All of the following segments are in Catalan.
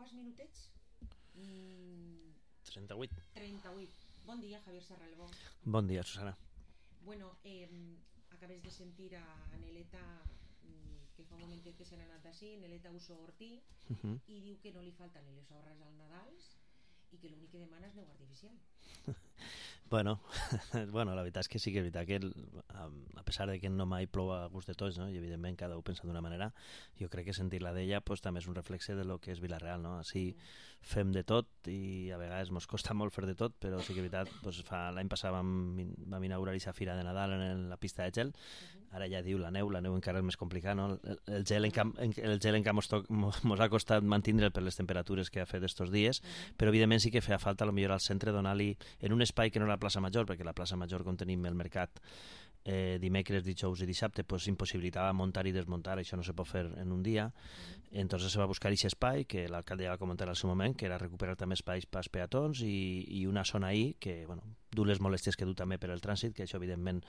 quants minutets? 38. 38. Bon dia, Javier Serralbó. Bon dia, Susana. Bueno, acabes de sentir a Neleta, que fa un momentet que se n'ha anat d'ací, Neleta Uso Ortí, i diu que no li falten ni les obres al Nadals i que l'únic que demana és neu artificial. Bueno, la veritat és que sí que és veritat que a pesar de que no mai plou a gust de tots, no? I evidentment cada un pensa d'una manera, jo crec que sentir-la d'ella pues, també és un reflexe de lo que és Vila-real, no? Així fem de tot i a vegades ens costa molt fer de tot, però sí que és veritat, pues, l'any passat vam inaugurar aquesta fira de Nadal en la pista de gel, ara ja diu la neu encara és més complicat, no? El gel en camp mos ha costat mantindre'l per les temperatures que ha fet estos dies, però evidentment sí que feia falta a lo millor al centre donar-li en un espai que no era la plaça Major, perquè la plaça Major on tenim el mercat dimecres, dijous i dissabte pues, impossibilitava muntar i desmuntar, això no se pot fer en un dia. Entonces se va buscar aquest espai que l'alcalde ja va comentar al seu moment, que era recuperar també espais pels peatons i una zona ahí que, bueno, du les molèsties que du també per el trànsit, que això evidentment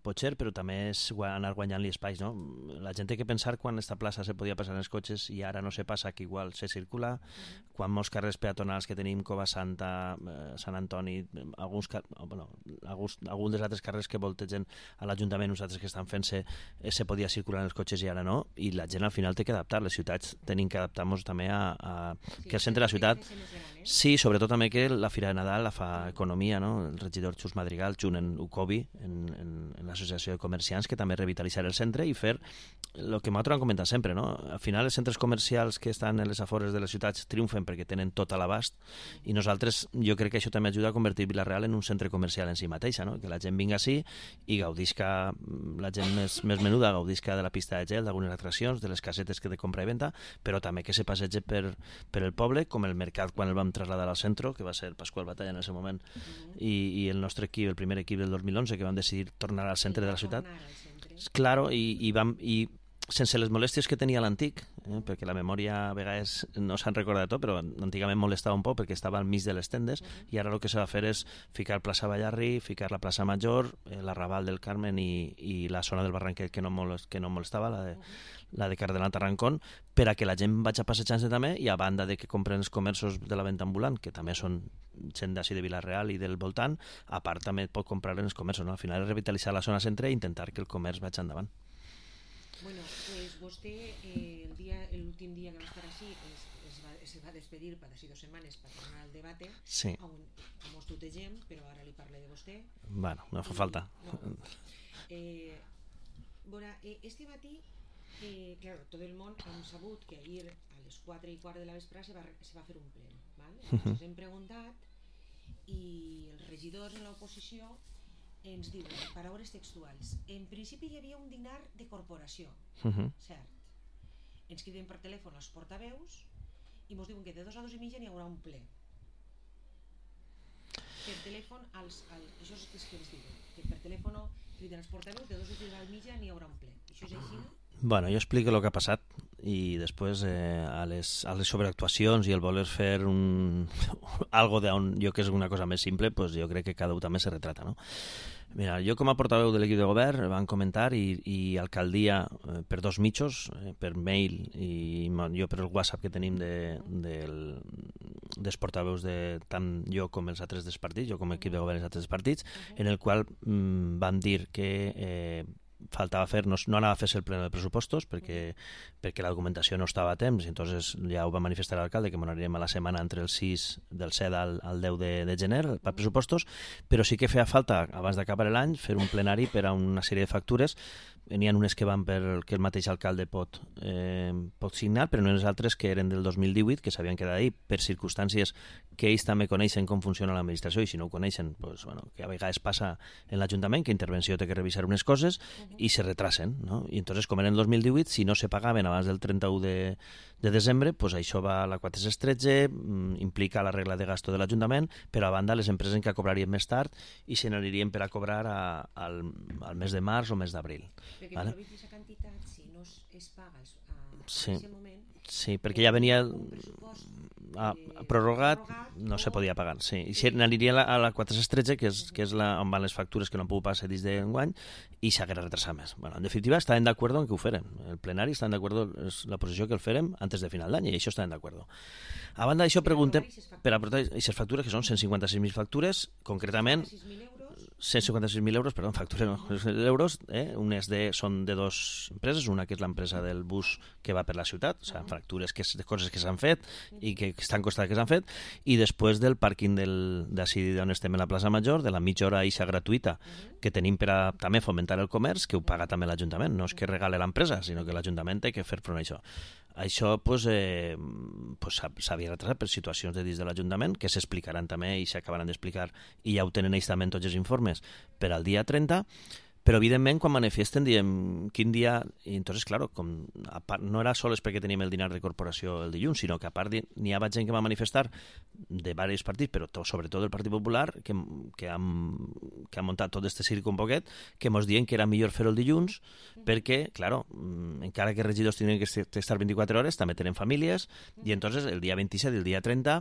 pot ser, però també és anar guanyant-li espais, no? La gent té que pensar quan esta plaça se podia passar en els cotxes i ara no se passa, que igual se circula, quan molts carrers peatonals que tenim, Cova Santa, Sant Antoni, alguns dels altres carrers que voltegen a l'Ajuntament, nosaltres que estan fent-se, se podia circular en els cotxes i ara no, i la gent al final té que adaptar, les ciutats tenim que adaptar-nos també a que el centre de la ciutat... Sí, sobretot també que la Fira de Nadal la fa Economia, no? El regidor Xus Madrigal, junt en UCOBI, en l'Associació de Comerciants, que també revitalitzar el centre i fer el que nosaltres hem comentat sempre, no? Al final els centres comercials que estan en les afores de les ciutats triomfen perquè tenen tot a l'abast i nosaltres, jo crec que això també ajuda a convertir Vila-real en un centre comercial en si mateixa, no? Que la gent vinga així i gaudisca, la gent més menuda gaudisca de la pista de gel, d'algunes atraccions, de les casetes que de compra i venda, però també que se passegi per el poble, com el mercat quan el vam traslladar al centre, que va ser Pasqual Batalla en el seu moment, i el nostre equip, el primer equip del 2011, que vam decidir tornar al centre de la ciutat. Claro, i sense les molèsties que tenia l'antic, perquè la memòria a vegades no se'n recorda de tot, però antigament molestava un poc perquè estava al mig de les tendes, i ara el que s'ha de fer és ficar plaça Ballarri, ficar la plaça Major, l'arrabal del Carmen i la zona del Barranquet que no molestava, la de Cardenal Tarrancón, per a que la gent vagi passejant-se també, i a banda de que compren els comerços de la venda ambulant, que també són gent d'ací de Vila-real i del voltant, a part també pot comprar en els comerços, no? Al final és revitalitzar la zona centre i intentar que el comerç vagi endavant. Bueno, pues vostè l'últim dia que va estar així se va despedir per així 2 setmanes per tornar al debate, sí. On mos tutegem, però ara li parle de vostè. Bueno, no fa falta. Este matí, claro, tot el món hem sabut que ahir a les 4:15 de la vesprada se va fer un ple, ¿vale? Ens hem preguntat i els regidors en l'oposició ens diuen, paraules textuals, en principi hi havia un dinar de corporació, cert. Ens criden per telèfon als portaveus i ens diuen que de 2 a 2 i mitja n'hi haurà un ple. Per telèfon, això és el que ens diuen, que per telèfon criden els portaveus, de 2 a 2 i mitja n'hi haurà un ple. Això és així? Bueno, jo explico el que ha passat i després a les sobreactuacions i el voler fer algo d'on jo que és una cosa més simple, pues jo crec que cada un també se retrata, no? Mira, jo com a portaveu de l'equip de govern van comentar i alcaldia per 2 mitjos, per mail i jo per el WhatsApp que tenim dels portaveus de tant jo com els altres dels partits, jo com a equip de govern dels altres partits, en el qual vam dir que faltava fer, no anava a fer-se el pleno de pressupostos perquè la documentació no estava a temps, i entonces ja ho va manifestar l'alcalde que m'aniríem a la setmana entre el 6 del 7 al 10 de gener per pressupostos, però sí que feia falta abans d'acabar l'any fer un plenari per a una sèrie de factures. N'hi ha unes que van que el mateix alcalde pot signar, però no les altres que eren del 2018 que s'havien quedat ahí per circumstàncies que ells també coneixen com funciona l'administració, i si no ho coneixen, pues, bueno, que a vegades passa en l'Ajuntament que intervenció té que revisar unes coses i se retrasen, no? I entonces, com era en el 2018, si no se pagaven abans del 31 de desembre, pues això va a la 413, implica la regla de gasto de l'Ajuntament, però a banda les empreses que cobrarien més tard i se n'anirien per a cobrar al mes de març o mes d'abril. Perquè vale? Per aquesta quantitat, si no es paga en aquest moment, Sí, perquè ja venia un pressupost prorrogat, no se podia pagar. Sí. I si aniria a la 413, que és on van les factures que no han pogut passar dins d'enguany, i s'haguera retrasat més. Bueno, en definitiva, estaven d'acord en que ho feren. El plenari estaven d'acord, és la posició que el farem antes de final d'any, i això estaven d'acord. A banda d'això, preguntem per aportar aquestes factures, que són 156.000 factures, concretament 156.000 euros, perdó, factures no, euros, són de dues empreses, una que és l'empresa del bus que va per la ciutat, o sigui, factures de coses que s'han fet i que estan costant que s'han fet, i després del pàrquing d'ací on estem a la plaça Major, de la mitja hora eixa gratuïta que tenim per a també fomentar el comerç, que ho paga també l'Ajuntament, no és que regale l'empresa, sinó que l'Ajuntament té que fer front a això. Això s'havia retrasat per situacions de dins de l'Ajuntament que s'explicaran també i s'acabaran d'explicar, i ja ho tenen ells també tots els informes per al dia 30, però evidentment quan manifesten diem quin dia, i entonces claro, no era sols perquè teníem el dinar de corporació el dilluns, sinó que a part n'hi havia gent que va manifestar de diversos partits, però sobretot del Partit Popular, que ha muntat tot este circo un poquet, que mos diuen que era millor fer-ho el dilluns perquè, claro, encara que els regidors tenen que estar 24 hores, també tenen famílies, i entonces el dia 27 i el dia 30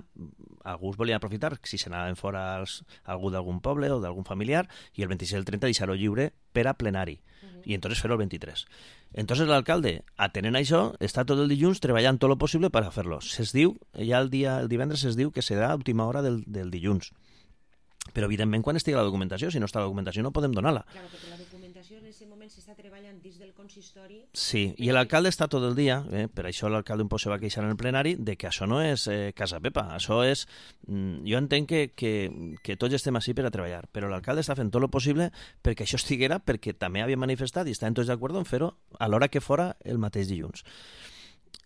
alguns volien aprofitar si s'anaven fora algú d'algun poble o d'algun familiar, i el 26 i el 30 deixar-ho lliure per a plenari, i entonces fer-ho el 23. Entonces l'alcalde, atenent a això, està tot el dilluns treballant tot el possible per a fer-lo. Se's diu, ja el divendres es diu que serà a última hora del dilluns. Però evidentment quan estigui la documentació, si no està la documentació no podem donar-la. Claro, perquè la documentació en aquest moment s'està treballant dins del consistori. Sí, i l'alcalde està tot el dia, per això l'alcalde un poc se va queixar en el plenari, de que això no és Casa Pepa, això és... Jo entenc que tots estem així per a treballar, però l'alcalde està fent tot el possible perquè això estiguera, perquè també havia manifestat i estaven tots d'acord en fer-ho a l'hora que fora el mateix dilluns.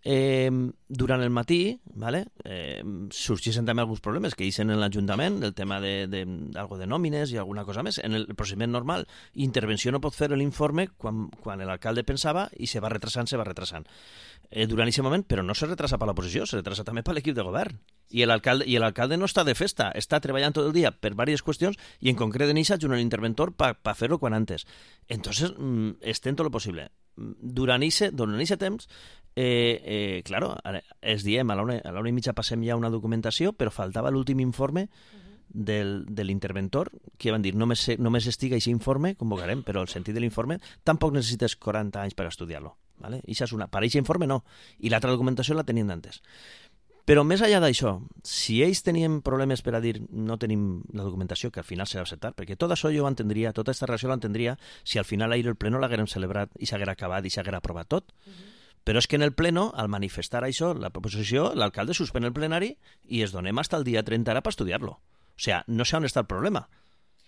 Durant el matí, vale, sorgeixen també alguns problemes que eixen en l'Ajuntament, el tema d'algo de nòmines i alguna cosa més. En el procediment normal, intervenció no pot fer l'informe quan l'alcalde pensava i se va retrasant. Durant aquest moment, però no se retrasa per l'oposició, se retrasa també per l'equip de govern. I l'alcalde no està de festa, està treballant tot el dia per diverses qüestions i en concret en això un interventor per fer-ho quan antes. Entonces, estem tot el possible. Durant aquest temps, claro, es diem, a l'hora i mitja passem ja una documentació, però faltava l'últim informe de l'interventor, que van dir, només estigui aquest informe, convocarem, però el sentit de l'informe tampoc necessites 40 anys per estudiar-lo. ¿Vale? Per aquest informe no, i l'altra documentació la tenien d'antes. Però més enllà d'això, si ells tenien problemes per a dir no tenim la documentació, que al final s'ha d'acceptar, perquè tot això jo ho entendria, tota aquesta relació l'entendria si al final ahir el pleno l'haguérem celebrat i s'haguera acabat i s'haguera aprovat tot. Però és que en el pleno, al manifestar això, la proposició, l'alcalde suspèn el plenari i es donem fins al dia 30 ara per estudiar-lo. O sigui, no sé on està el problema.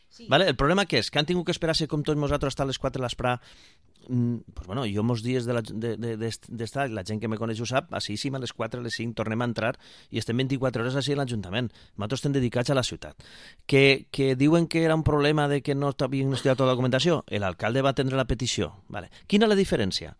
Sí. ¿Vale? El problema què és? Que han tingut que esperar-se com tots nosaltres hasta les 4 de l'esprà. Pues bueno, jo molts dies d'estar, la gent que me coneix ho sap, així a les 4, a les 5 tornem a entrar i estem 24 hores així a l'Ajuntament. Nosaltres estem dedicats a la ciutat. Que diuen que era un problema de que no havien estudiat tota la documentació. L'alcalde va atendre la petició. Vale. Quina és la diferència?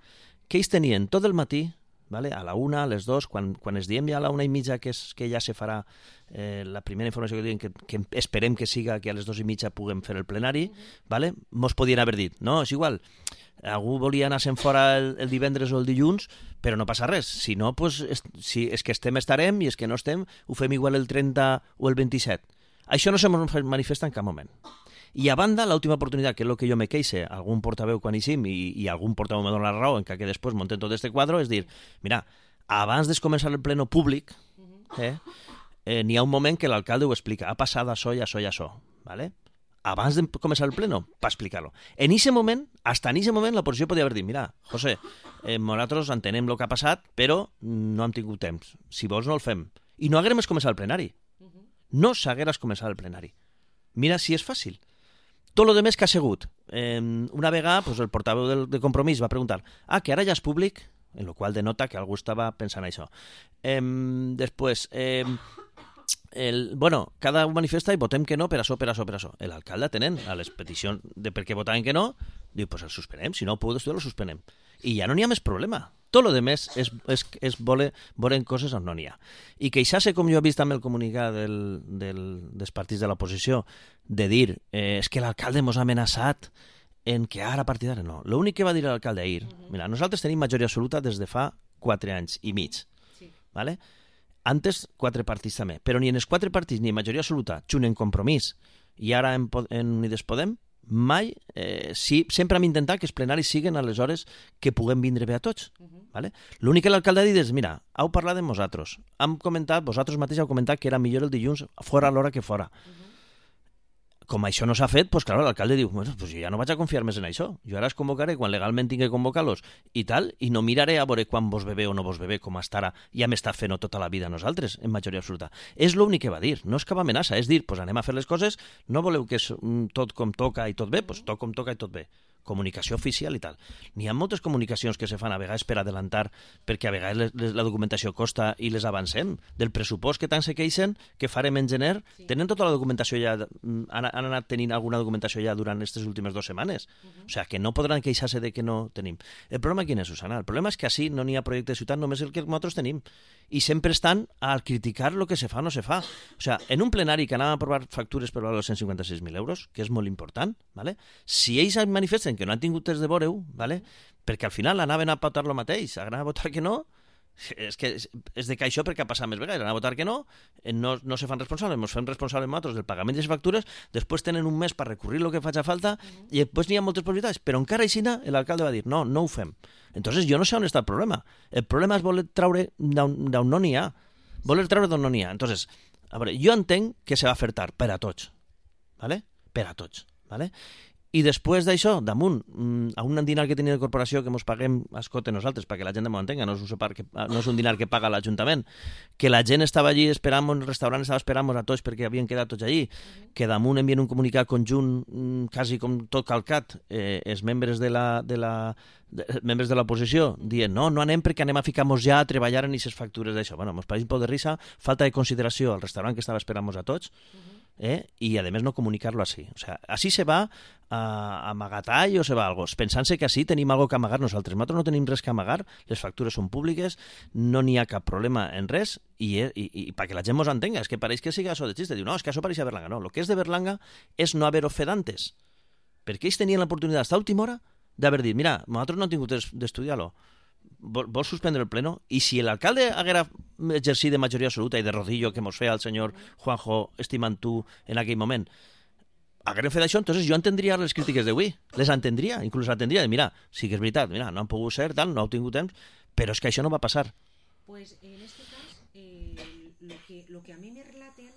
Que ells tenien tot el matí, vale, a la 1, a les 2, quan es diem ja a la 1:30 que ja se farà la primera informació que diuen que esperem que siga que a les 2:30 puguem fer el plenari, vale? Mos podien haver dit, no, és igual, algú volia anar-se'n fora el divendres o el dilluns, però no passa res, si no, pues, si és que estarem, i és que no estem, ho fem igual el 30 o el 27. Això no se manifesta en cap moment. I a banda, l'última oportunitat, que és el que jo me queixe, algun portaveu quan eixim i algun portaveu me dona la raó, encara que després montem tot este quadre, és dir, mira, abans de començar el pleno públic, n'hi ha un moment que l'alcalde ho explica, ha passat això i això i això, ¿vale? Abans de començar el pleno, per explicar-lo. En aquest moment, hasta en aquest moment, l'oposició podia haver dit, mira, José, nosaltres entenem el que ha passat, però no hem tingut temps. Si vols no el fem. I no haguérem començat el plenari. No s'hagués començat el plenari. Mira si és fàcil. Tot el més que ha sigut. Una vegada pues, el portaveu de Compromís va preguntar que ara ja és públic, en la qual denota que algú estava pensant això. Després, cada un manifesta i votem que no per això. L'alcalde atenent a les peticions de per què votaven que no, diu, pues el suspenem, si no ho puc estudiar, lo suspenem. I ja no n'hi ha més problema. Tot el més és volen coses on no n'hi ha. I queixar-se, com jo he vist també el comunicat dels partits de l'oposició, de dir, és que l'alcalde mos ha amenaçat en que ara a partir d'ara no. L'únic que va dir l'alcalde ahir, mira, nosaltres tenim majoria absoluta des de fa 4 anys i mig. ¿vale? Antes 4 partits també, però ni en els 4 partits ni en majoria absoluta, junt en Compromís i ara en Unides Podem, mai, sempre hem intentat que els plenaris siguin a les hores que puguem vindre bé a tots. ¿Vale? L'únic que l'alcalde ha dit és, mira, heu parlat amb vosaltres, vosaltres mateix heu comentat que era millor el dilluns fora a l'hora que fora. Com això no s'ha fet, doncs clar, l'alcalde diu, bueno, pues jo ja no vaig a confiar més en això, jo ara es convocaré quan legalment tinc que convocar-los i tal, i no miraré a veure quan vos ve bé o no vos ve bé, com hasta ara ja m'està fent tota la vida a nosaltres, en majoria absoluta. És l'únic que va dir, no és cap amenaça, és dir, pues anem a fer les coses, no voleu que és tot com toca i tot bé, pues tot com toca i tot bé. Comunicació oficial i tal. N'hi ha moltes comunicacions que se fan a vegades per adelantar, perquè a vegades la documentació costa i les avancem. Del pressupost que tant se queixen, que farem en gener, tenen tota la documentació ja, han anat tenint alguna documentació ja durant aquestes últimes 2 setmanes. O sigui, que no podran queixar-se de que no tenim. El problema quin és, Susana? El problema és que així no n'hi ha projecte de ciutat, només el que nosaltres tenim. I sempre estan a criticar el que se fa o no se fa. O sigui, en un plenari que anàvem a aprovar factures per valor de 156.000 euros, que és molt important, ¿vale? Si ells manifesten que no han tingut temps de veure-ho, ¿vale? Perquè al final anaven a votar lo mateix, anaven a votar que no, és que és de que això perquè ha passat més vegades, anaven a votar que no, no se fan responsables, ens fem responsables nosaltres del pagament de les factures, després tenen un mes per recurrir el que faci falta i després n'hi ha moltes possibilitats, però encara així l'alcalde va dir, no ho fem. Entonces jo no sé on està el problema. El problema és voler treure d'on no n'hi ha. Voler treure d'on no n'hi ha. Entonces, a veure, jo entenc que se va fer tard per a tots, ¿vale? Per a tots, ¿vale? I després d'això, damunt, a un dinar que tenia de corporació que ens paguem a escote nosaltres, perquè la gent m'ho entenga, no és un dinar que paga l'Ajuntament, que la gent estava allí esperant, el restaurant estava esperant a tots perquè havien quedat tots allí, que damunt envien un comunicat conjunt, quasi com tot calcat, els membres de l'oposició, dient no anem perquè anem a ficar-nos ja a treballar en aquestes factures d'això. Bueno, ens pareix un poc de risa, falta de consideració al restaurant que estava esperant-nos a tots, y además no comunicarlo así. O sea, así se va a amagatall o se va a algo, pensant-se que així tenim algo que amagar nosaltres. Nosaltres no tenim res que amagar, les factures són públiques, no n'hi ha cap problema en res, i perquè la gent mos entenga, és que pareix que siga això de xiste, diu, no, és que això pareix a Berlanga. No, el que és de Berlanga és no haver-ho fet antes, perquè ells tenien l'oportunitat a última hora d'haver dit, mira, nosaltres no hem tingut d'estudiar-lo, vols suspendre el pleno? I si l'alcalde haguera exercit de majoria absoluta i de rodillo que mos feia el senyor Juanjo estimant tu en aquell moment, haguérem fet això, entonces jo entendria les crítiques d'avui, les entendria, inclús entendria de, mira, sí que és veritat, mira, no han pogut ser, tal, no heu tingut temps, però és que això no va passar. Pues en este cas, lo que a mí me relaten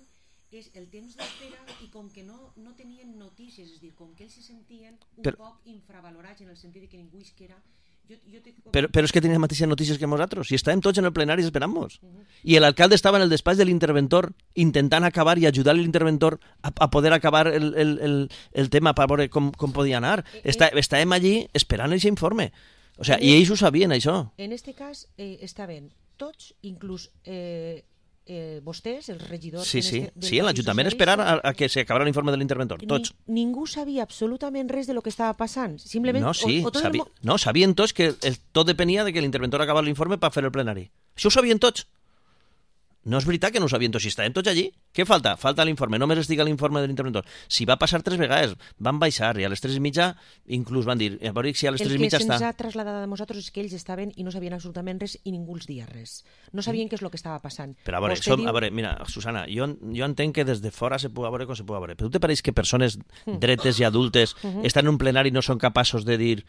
és el temps d'espera i com que no tenien notícies, és a dir, com que ells se sentien un poc infravalorats en el sentit de que ningú isquera. Però és que tenien les mateixes notícies que nosaltres, i estàvem tots en el plenari esperant-nos. I l'alcalde estava en el despatx de l'interventor intentant acabar i ajudar l'interventor a poder acabar el tema per veure com podia anar. Estàvem allí esperant aquest informe. O sea, i ells ho sabien, això. En este cas estaven tots, inclús vostès, els regidors... Sí, l'Ajuntament esperar a que s'acabara l'informe de l'interventor, tots. Ningú sabia absolutament res de lo que estava passant. Simplement... No, sabien tots que tot depenia de que l'interventor acabara l'informe per fer el plenari. Això ho sabien tots. No és veritat que no ho sabien tots, si estàvem tots allí. Què falta? Falta l'informe, només estigui l'informe de l'interventor. Si va passar 3 vegades, van baixar i a les 3:30 inclús van dir, a veure si a les 3:30 està... El que se'ns ha traslladat a nosaltres és que ells estaven i no sabien absolutament res i ningú els dia res. No sabien què és el que estava passant. Però a veure, mira, Susana, jo entenc que des de fora se pugui veure com se pugui veure, però tu te pareix que persones dretes i adultes estan en un plenari i no són capaços de dir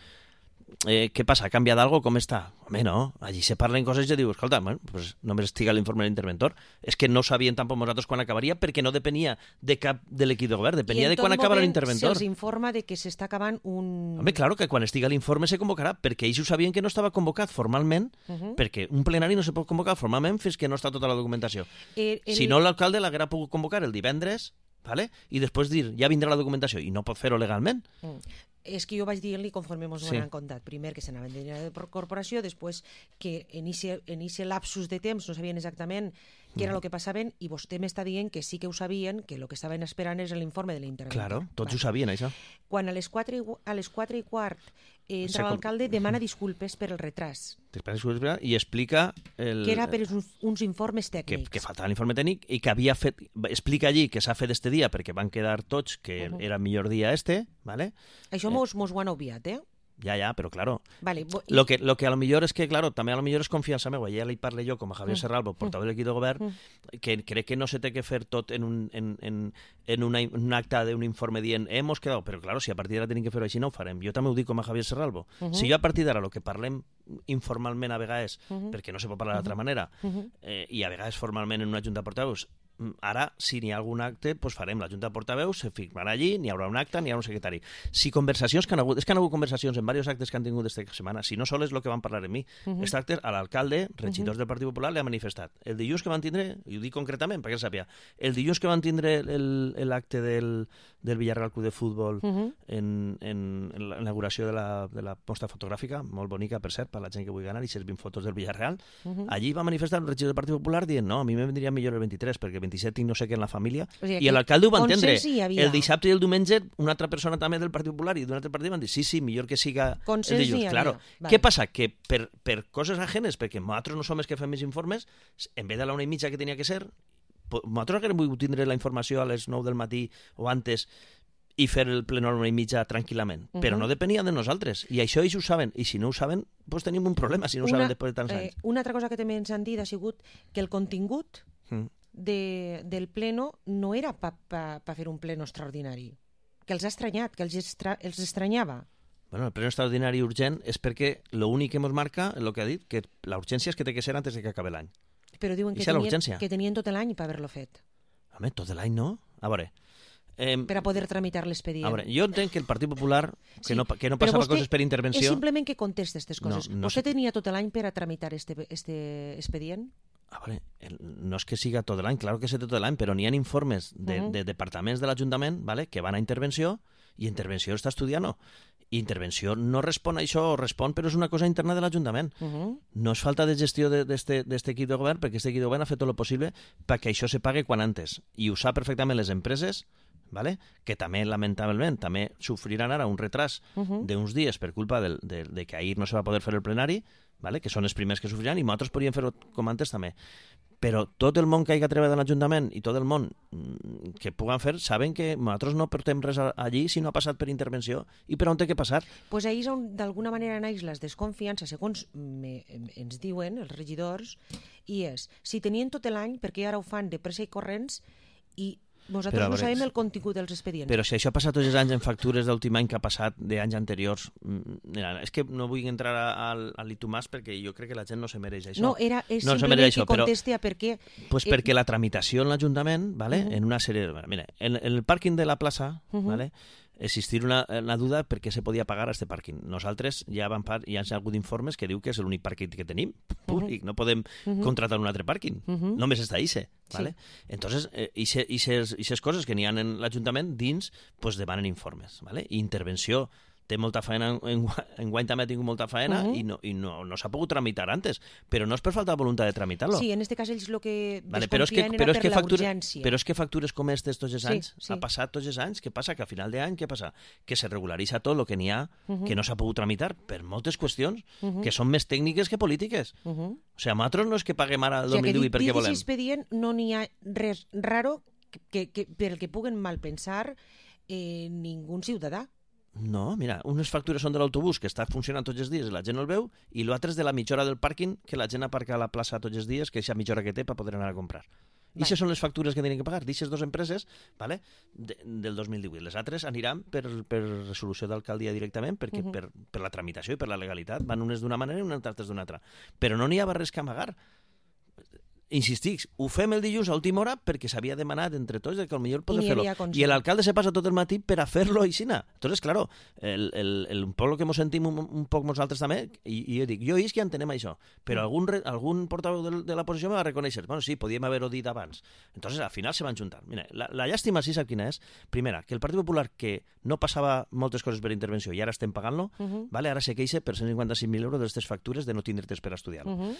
què passa, ha canviat algo, com està? Home, no, allí se parlen coses i diu, escolta, pues només estiga l'informe de l'interventor. És que no sabien tampoc nosaltres quan acabaria perquè no depenia de cap de l'equip de govern, depenia de quan acabava l'interventor. Se'ls informa de que s'està acabant un... Home, claro, que quan estiga l'informe se convocarà, perquè ells ho sabien que no estava convocat formalment, perquè un plenari no se pot convocar formalment fins que no està tota la documentació. Si no, l'alcalde l'haguera pogut convocar el divendres, ¿vale? I després dir, ja vindrà la documentació, i no pot fer-ho legalment. És que jo vaig dir-li conforme ens ho han contat. Primer que s'anaven de corporació, després que en aquest lapsus de temps no sabien exactament què era el que passaven i vostè m'està dient que sí que ho sabien, que el que estaven esperant és l'informe de l'interventor. Claro, tots ho sabien, això. Quan a les 4:15 entra l'alcalde, demana disculpes per el retras. I explica... Que era per uns informes tècnics. Que faltava l'informe tècnic i que havia fet... Explica allí que s'ha fet este dia perquè van quedar tots que era el millor dia este, ¿vale? Això mos ho han obviat, Ja, però claro. Vale, Lo que a lo millor és que, claro, també a lo millor és confiança meva. Ja li parle jo com a Javier Serralbo, portaveu de l'equip de govern, que crec que no se té que fer tot en un acte d'un informe dient hemos quedado, però claro, si a partir d'ara tenim que fer-ho així no ho farem. Jo també ho dic com a Javier Serralbo. Si jo a partir d'ara el que parlem informalment a vegades, perquè no se pot parlar d'altra manera, i a vegades formalment en una junta de portaveus, ara, si n'hi ha algun acte, doncs farem la junta de portaveus, se firmarà allí, n'hi haurà un acte, n'hi haurà un secretari. Si conversacions que han hagut, és que han hagut conversacions en diversos actes que han tingut aquesta setmana, si no sols és el que van parlar amb mi. Aquest acte, a l'alcalde, regidors del Partit Popular, li ha manifestat. El dilluns que van tindre, i ho dic concretament perquè el sàpiga, el dilluns que van tindre l'acte del Villarreal Club de Futbol en l'inauguració de la posta fotogràfica, molt bonica, per cert, per la gent que vulgui anar, i 20 fotos del Villarreal, allí va manifestar el regidor del Partit Popular dient, no, a mi me vendria millor el 23, perquè el 27 tinc no sé què en la família, o sigui, i l'alcalde ho va entendre. El dissabte i el diumenge una altra persona també del Partit Popular i d'un altre partit van dir, sí, millor que siga el dilluns. Claro. Què passa? Que per coses ajenes, perquè nosaltres no som els que fem més informes, en vez de la 1:30 que tenia que ser, nosaltres haguem volgut tindre la informació a les 9 del matí o antes i fer el ple a la 1:30 tranquil·lament, però no depenia de nosaltres, i això ells ho saben, i si no ho saben, doncs tenim un problema, si no ho saben després de tants anys. Una altra cosa que també ens han dit ha sigut que el contingut del pleno no era per fer un pleno extraordinari, que els ha estranyat, que els estranyava. Bueno, el pleno extraordinari urgent és perquè l'únic que ens marca, el que ha dit, que la urgència és que té que ser antes de que acabi l'any. Però diuen que tenien tot l'any per haver-lo fet. Home, tot l'any no? A veure... per a poder tramitar l'expedient. A veure, jo entenc que el Partit Popular, que no passava coses per intervenció... És simplement que contesta aquestes coses. Vostè tenia tot l'any per a tramitar este expedient? A veure, no és que siga tot l'any, clar que sé tot l'any, però n'hi ha informes de departaments de l'Ajuntament que van a intervenció, i intervenció està estudiant-ho. I intervenció no respon a això, o respon, però és una cosa interna de l'Ajuntament. No és falta de gestió d'aquest equip de govern, perquè aquest equip de govern ha fet tot el possible perquè això se pague quan antes. I ho sap perfectament les empreses, ¿vale? Que també, lamentablement, també sofriran ara un retras d'uns dies per culpa de que ahir no se va poder fer el plenari, ¿vale? Que són els primers que sofriran, i nosaltres podríem fer-ho com antes també. Però tot el món que hagi treballat en l'Ajuntament i tot el món que puguen fer saben que nosaltres no portem res allí si no ha passat per intervenció i per on té que passar. Pues ahí és on d'alguna manera naix la desconfiança, segons ens diuen els regidors, i és, si tenien tot l'any, perquè ara ho fan de pressa i corrents, i nosaltres no sabem el contingut dels expedients. Però si això ha passat tots els anys en factures d'últim any que ha passat d'anys anteriors, és que no vull entrar a l'Itumàs perquè jo crec que la gent no se mereix això. No, és simplement que contesti a per què... Pues perquè la tramitació en l'Ajuntament, ¿vale? En una sèrie... Mira, en el pàrquing de la plaça, ¿vale? Existir una duda per què se podia pagar a este pàrquing. Nosaltres ja ha hagut informes que diu que és l'únic pàrquing que tenim públic, no podem contratar un altre pàrquing, només està ICE. ¿Vale? Entonces, aquestes coses que n'hi ha en l'Ajuntament dins, pues demanen informes. ¿Vale? I intervenció té molta feina, enguany també ha tingut molta feina i no s'ha pogut tramitar antes, però no és per falta de voluntat de tramitar-lo. Sí, en aquest cas ells el que desconfien era per la urgència. Però és que factures com aquestes tots els anys, ha passat tots els anys, què passa? Que a final d'any, què passa? Que se regularitza tot el que n'hi ha, que no s'ha pogut tramitar per moltes qüestions, que són més tècniques que polítiques. O sigui, nosaltres no és que paguem ara el 2018 perquè volem. O sigui, que dit expedient no n'hi ha res raro per el que puguen malpensar ningú ciutadà. No, mira, unes factures són de l'autobús que està funcionant tots els dies i la gent no el veu, i l'altre és de la mitja hora del pàrquing que la gent aparca a la plaça tots els dies, que és la mitja hora que té per poder anar a comprar. I aquestes són les factures que tenen que pagar d'aquestes dues empreses, ¿vale? Del 2018. Les altres aniran per resolució d'alcaldia directament, perquè per la tramitació i per la legalitat van unes d'una manera i unes altres d'una altra. Però no n'hi ha res que amagar. Insistic, ho fem el dilluns a última hora perquè s'havia demanat entre tots que potser poder fer-lo. I l'alcalde se passa tot el matí per a fer-lo aixina. Entonces, claro, un poc el que ens sentim un poc nosaltres també, i jo dic, jo és que entenem això, però algun portaveu de la posició me va reconèixer, bueno, sí, podíem haver-ho dit abans. Entonces, al final se van juntar. Mira, la llàstima sí sap quina és? Primera, que el Partit Popular, que no passava moltes coses per intervenció i ara estem pagant-lo, ¿vale? Ara se queixa per 155.000 euros d'aquestes factures de no tindre temps per estudiar-lo.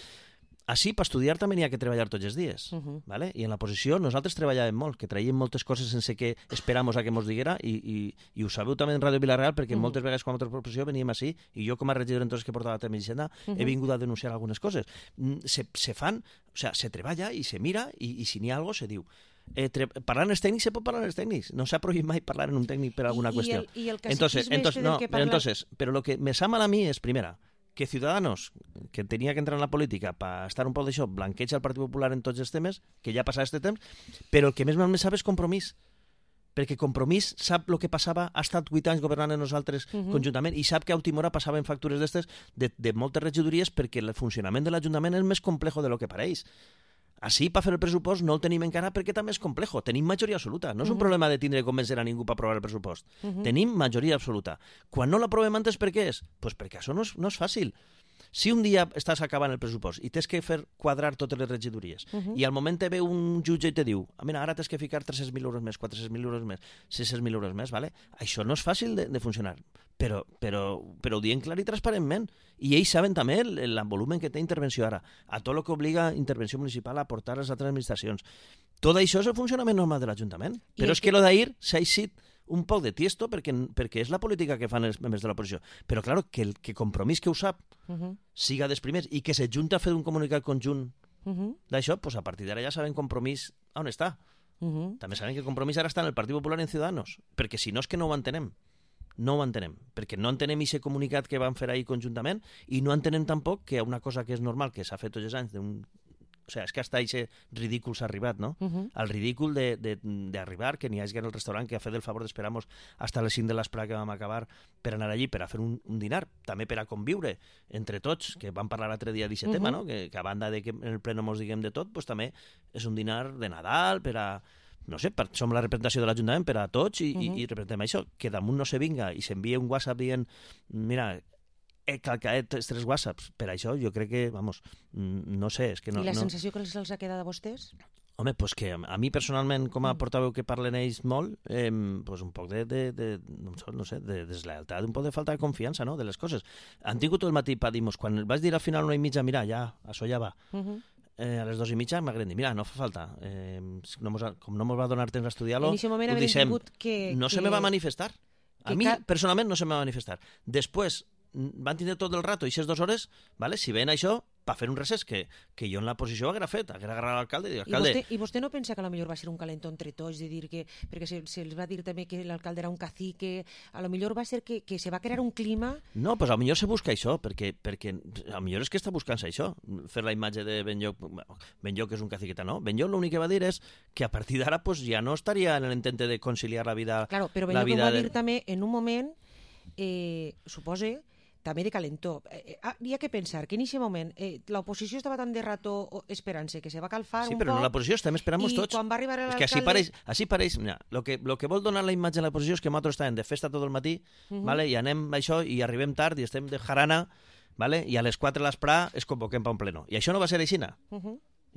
Així, per estudiar també n'hi ha que treballar tots els dies. ¿Vale? I en la posició nosaltres treballàvem molt, que traiem moltes coses sense que esperamos a que mos diguera, i ho sabeu també en Ràdio Vilareal, perquè moltes vegades quan a altra posició veníem així, i jo com a regidor entonces que portava a terme Hisenda he vingut a denunciar algunes coses. Se fan, o sea, se treballa i se mira, i si n'hi ha algo se diu. parlar en els tècnics se pot parlar en els tècnics. No s'ha prohibit mai parlar en un tècnic per alguna qüestió. I el caciquisme del que parla... Pero lo que me sap mal a mi és, primera, que Ciudadanos, que tenia que entrar en la política per estar un poc d'això, blanqueja el Partit Popular en tots els temes, que ja passava aquest temps, però el que més mal me sap és Compromís. Perquè Compromís sap el que passava, ha estat 8 anys governant en nosaltres conjuntament i sap que a última hora passaven factures d'estes de moltes regidories perquè el funcionament de l'Ajuntament és més complejo de lo que pareix. Així, per fer el pressupost, no el tenim encara perquè també és complejo. Tenim majoria absoluta. No és un problema de tindre que convencer a ningú per aprovar el pressupost. Tenim majoria absoluta. Quan no l'aprovem antes, per què és? Pues perquè això no és fàcil. Si un dia estàs acabant el pressupost i tens que fer quadrar totes les regidories i al moment te ve un jutge i te diu mira, ara tens que ficar 300.000 euros més, 400.000 euros més, 600.000 euros més, ¿vale? Això no és fàcil de funcionar, però ho diem clar i transparentment. I ells saben també el volumen que té intervenció ara, a tot el que obliga intervenció municipal a aportar a les altres administracions. Tot això és el funcionament normal de l'Ajuntament. Però és que lo d'ahir s'ha eixit un poc de tiesto perquè és la política que fan els membres de l'oposició. Però, clar, que Compromís que ho sap siga dels primers i que se junta a fer un comunicat conjunt d'això, pues a partir d'ara ja saben Compromís on està. També saben que Compromís ara està en el Partit Popular i en Ciudadanos, perquè si no és que no ho entenem. No ho entenem, perquè no entenem aquest comunicat que van fer ahir conjuntament i no entenem tampoc que una cosa que és normal, que s'ha fet tots els anys, o sea, és que hasta aquest ridícul s'ha arribat, no? El ridícul d'arribar, que n'hi hagi en el restaurant que ha fet el favor d'esperar-nos hasta les 5 de l'esprà que vam acabar per anar allí, per a fer un dinar, també per a conviure entre tots, que vam parlar l'altre dia d'aquest tema, no? Que a banda de que en el pleno mos diguem de tot, pues també és un dinar de Nadal, per a no sé, som la representació de l'Ajuntament per a tots i representem això, que damunt no se vinga i s'envia un WhatsApp dient mira, he calcat 3 WhatsApps, per això jo crec que, vamos, no sé, és que no... I la sensació que els ha quedat a vostès? Home, pues que a mi personalment, com a portaveu que parlen ells molt, pues un poc no sé, de deslleialtat, un poc de falta de confiança, no?, de les coses. Han tingut tot el matí per dir-nos, quan vaig dir al final 1:30, mira, ja, això ja va. A les 2:30 m'agrada dir, mira, no fa falta, com no ens va donar temps a estudiar-lo, ho deixem. No se me va manifestar. A mi, personalment, no se me va manifestar. Després, van tindre tot el rato, i aquestes 2 hores, ¿vale? Si ven això, per fer un recés, que jo en la posició haguera fet, haguera agarrat l'alcalde i dir, alcalde... I vostè no pensa que potser va ser un calentó entre tots, de dir que, perquè se'ls va dir també que l'alcalde era un cacique, a lo millor va ser que se va crear un clima... No, pues a lo millor se busca això, perquè a lo millor és que està buscant-se això, fer la imatge de Benlloc és un caciqueta, no? Benlloc l'únic que va dir és que a partir d'ara pues, ja no estaria en l'intente de conciliar la vida... Claro, però Benlloc ho va dir també en un moment, supose, també de calentó. Hi ha que pensar que en aquest moment l'oposició estava tan de rato esperant-se que se va calfar un poc... Sí, però en l'oposició estem esperant-nos tots. I quan va arribar l'alcalde... És que així pareix... Mira, lo que vol donar la imatge de l'oposició és que nosaltres estàvem de festa tot el matí, vale? I anem a això i arribem tard i estem de jarana, vale? I a les 4 de l'esprà es convoquem per un pleno. I això no va ser aixina.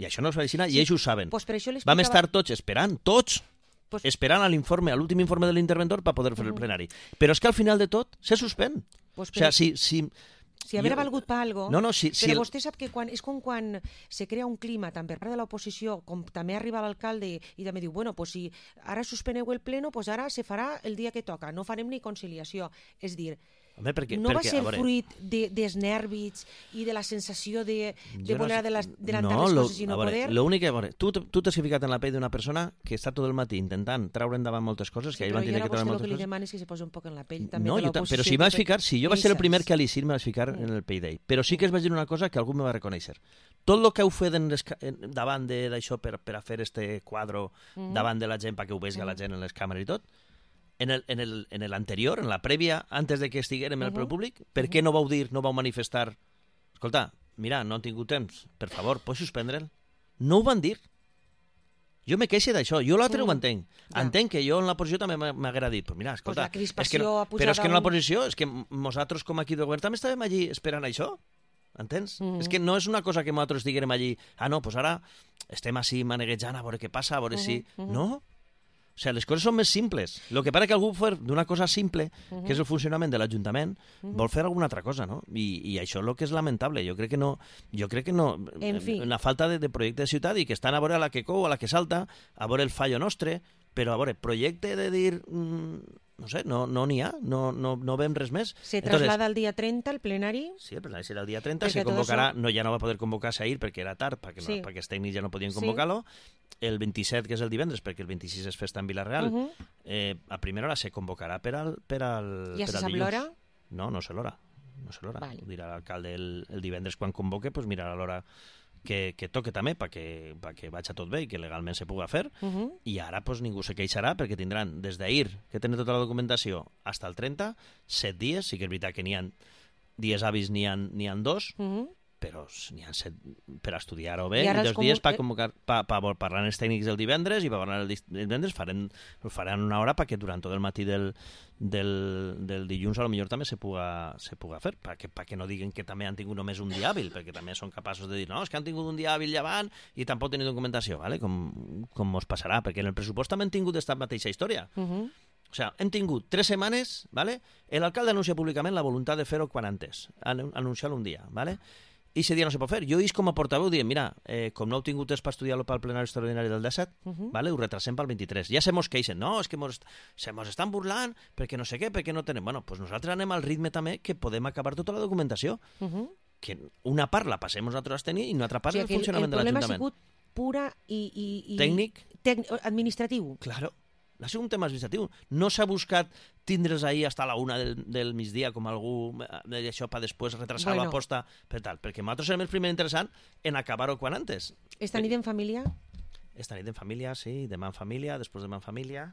I això no va ser aixina i ells ho saben. Pues per això vam estar tots esperant, esperant a l'últim informe de l'interventor per poder fer el plenari. Però és que al final de tot se suspèn. Pues o sigui, si haver valgut per algo, però vostè sap que és com quan se crea un clima tant per part de l'oposició com també arriba l'alcalde i també diu, bueno, pues si ara suspeneu el pleno, pues ara se farà el dia que toca, no farem ni conciliació. És dir, home, no va ser fruit dels nervis i de la sensació de voler adelantar les coses i no poder? L'únic que, tu t'has ficat en la pell d'una persona que està tot el matí intentant treure endavant moltes coses, que ahir van tenir que treure moltes coses. Però jo a vostè el que li demano és que se posi un poc en la pell també de l'oposició. Però si m'has ficat, si jo vaig ser el primer que a l'Icir me vaig ficar en el pell d'ell, però sí que es va dir una cosa que algú me va reconèixer. Tot el que heu fet davant d'això per a fer este quadro davant de la gent, perquè ho vegi la gent en les càmeres i tot, en l'anterior, en la prèvia, antes de que estiguérem en el públic, per què no vau dir, no vau manifestar? Escolta, mira, no han tingut temps, per favor, pots suspendre'l? No ho van dir. Jo me queixo d'això, jo l'altre ho entenc. Entenc que jo en la posició també m'haguera dit, però mira, escolta, però és que en la posició, és que nosaltres com aquí de govern també estàvem allí esperant això, entens? És que no és una cosa que nosaltres diguem allí, no, doncs ara estem així maneguejant a veure què passa, a veure si... No? O sigui, les coses són més simples. El que passa que algú fer d'una cosa simple, que és el funcionament de l'Ajuntament, vol fer alguna altra cosa, no? I això és el que és lamentable. Jo crec que no... En fi. Una falta de projecte de ciutat i que estan a veure a la que cou, a la que salta, a veure el fallo nostre, però a veure, projecte de dir no sé, no n'hi ha, no veiem res més. Se traslada el dia 30 al plenari? Sí, el plenari serà el dia 30, se convocarà, això... ja no va poder convocar-se ahir perquè era tard, perquè els tècnics ja no podien convocar-lo, el 27, que és el divendres, perquè el 26 és festa en Vila-real, a primera hora se convocarà per al dilluns. Ja se sap l'hora? No sé l'hora. Vale. Ho dirà l'alcalde el divendres quan convoque, pues mirarà l'hora que toque també perquè vagi tot bé i que legalment se puga fer, i ara pues, ningú se queixarà perquè tindran des d'ahir, que tenen tota la documentació, fins al 30, 7 dies, sí que és veritat que n'hi ha dies hàbils, n'hi ha 2, però n'hi ha 7 per estudiar-ho bé, i 2 dies per convocar, per parlar amb els tècnics el divendres, i per parlar el divendres faran una hora perquè durant tot el matí del dilluns a lo millor també se puga fer, perquè no diguen que també han tingut només un dia hàbil, perquè també són capaços de dir, no, és que han tingut un dia hàbil llevant i tampoc tenen documentació, ¿vale? com mos passarà, perquè en el pressupost també han tingut aquesta mateixa història. O sigui, hem tingut 3 setmanes, ¿vale? L'alcalde anuncia públicament la voluntat de fer-ho quan antes, anunciar-lo un dia, ¿vale? I aquest dia no se pot fer. Jo he com a portaveu dient, mira, com no heu tingut temps per estudiar-lo pel plenari extraordinari del 17, vale, ho retrasem pel 23. Ja se mos queixen, no, és que se mos estan burlant perquè no sé què, perquè no tenem... Bueno, doncs nosaltres anem al ritme també que podem acabar tota la documentació. Que una part la passem nosaltres a tenir i una altra part el funcionament de l'Ajuntament. El problema ha sigut pura i... Tècnic. Administratiu. Claro. Ha sigut un tema administratiu. No s'ha buscat tindre's ahir fins a la 1 del migdia com algú d'això per després retrasar la posta per tal. Perquè nosaltres serem el primer interessant en acabar-ho quan antes. Esta nit en família? Esta nit en família, sí. Demà en família, després demà en família.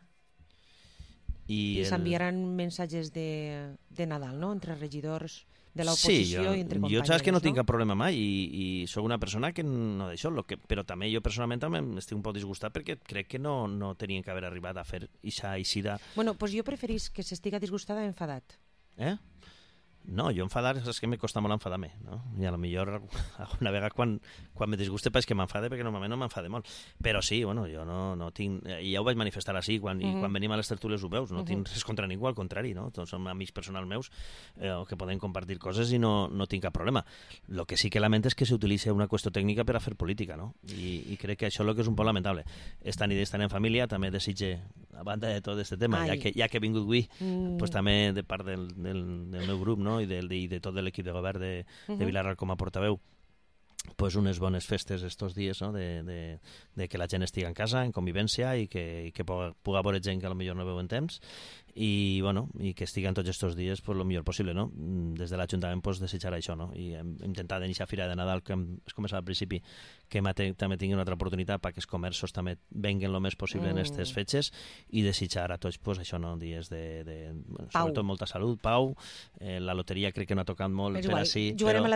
I s'enviaran missatges de Nadal, no?, entre regidors de l'oposició i entre companys. Jo saps que no tinc cap problema mai i sóc una persona que no d'això, però també jo personalment també estic un poc disgustat perquè crec que no tenien que haver arribat a fer ixa eixida. Bueno, doncs jo preferís que s'estiga disgustada enfadat. No, jo enfadar és que me costa molt enfadar-me, no? I a lo millor una vegada quan me disguste és que m'enfade, perquè normalment no m'enfade molt. Però sí, bueno, jo no tinc... I ja ho vaig manifestar així, quan venim a les tertúlies ho veus, no tinc res contra ningú, al contrari, no? Tots som amics personals meus que podem compartir coses i no tinc cap problema. Lo que sí que lamento és que s'utilitza una qüestió tècnica per a fer política, no? I crec que això és el que és un poc lamentable. Esta nit estan en família, també desitge, a banda de tot aquest tema, ja que he vingut avui, pues també de part del meu grup, no? I de tot l'equip de govern de Vila-real com a portaveu, pues unes bones festes estos dies, no? de que la gent estigui en casa, en convivència, i que puga veure gent que potser no veu en temps, i que estiguen tots estos dies pues, el millor possible, no? Des de l'Ajuntament pues, desitjar això, no? I hem intentat en aquesta fira de Nadal que es començava al principi que també tinguin una altra oportunitat perquè els comerços també venguen el més possible en aquestes fetges, i desitjar a tots pues, això, no? Dies sobretot molta salut, pau, la loteria crec que no ha tocat molt per així, jugarem a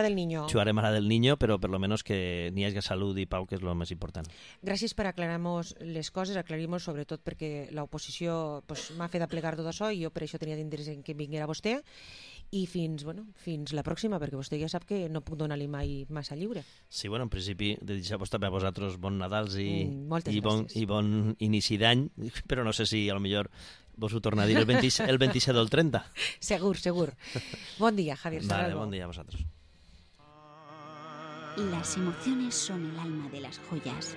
la del Niño, però per lo menos que n'hi hagi salut i pau, que és el més important. Gràcies per aclarar-nos les coses, aclarir-nos sobretot perquè l'oposició pues, m'ha fet aplegar tot això i jo per això tenia d'interès en que vinguera vostè, i fins la pròxima, perquè vostè ja sap que no puc donar-li mai massa lliure. Sí, en principi desitjar-vos també a vosaltres bon Nadals i bon inici d'any, però no sé si a lo millor vos ho torna a dir el 27 o el 30. Segur. Bon dia, Javier Serrano. Vale, bon dia a vosaltres. Las emociones son el alma de las joyas.